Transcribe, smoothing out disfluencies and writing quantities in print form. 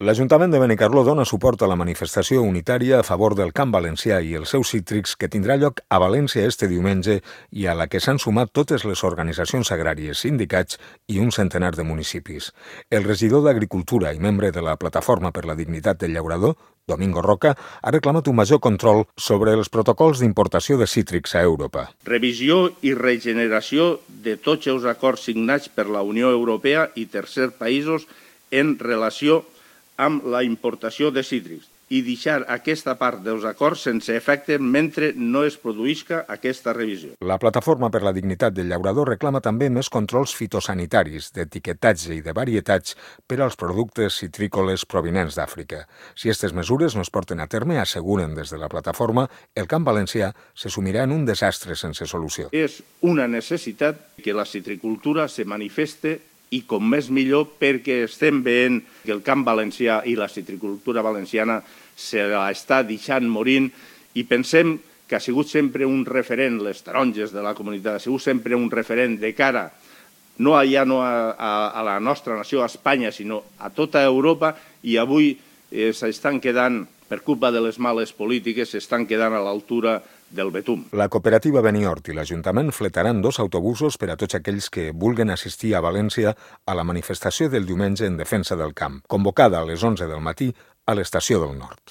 L'Ajuntament de Benicarló dona suport a la manifestació unitària a favor del camp valencià i els seus cítrics que tindrà lloc a València este diumenge i a la que s'han sumat totes les organitzacions agràries, sindicats i un centenar de municipis. El regidor d'Agricultura i membre de la Plataforma per la Dignitat del Llaurador, Domingo Roca, ha reclamat un major control sobre els protocols d'importació de cítrics a Europa. Revisió i regeneració de tots els acords signats per la Unió Europea i tercers països en relació amb la importació de cítrics i deixar aquesta part dels acords sense efecte mentre no es produïsca aquesta revisió. La Plataforma per la Dignitat del Llaurador reclama també més controls fitosanitaris, d'etiquetatge i de varietats per als productes citrícoles provinents d'Àfrica. Si aquestes mesures no es porten a terme, asseguren des de la plataforma, el camp valencià se sumirà en un desastre sense solució. És una necessitat que la citricultura se manifeste i com més millor perquè estem veient que el camp valencià i la citricultura valenciana se l'està deixant morint i pensem que ha sigut sempre un referent, les taronges de la comunitat, ha sigut sempre un referent de cara no a la nostra nació, a Espanya, sinó a tota Europa i avui s'estan quedant, per culpa de les males polítiques, s'estan quedant a l'altura del Betum. La cooperativa Benihort i l'Ajuntament fletaran 2 autobusos per a tots aquells que vulguen assistir a València a la manifestació del diumenge en defensa del camp, convocada a les 11 del matí a l'Estació del Nord.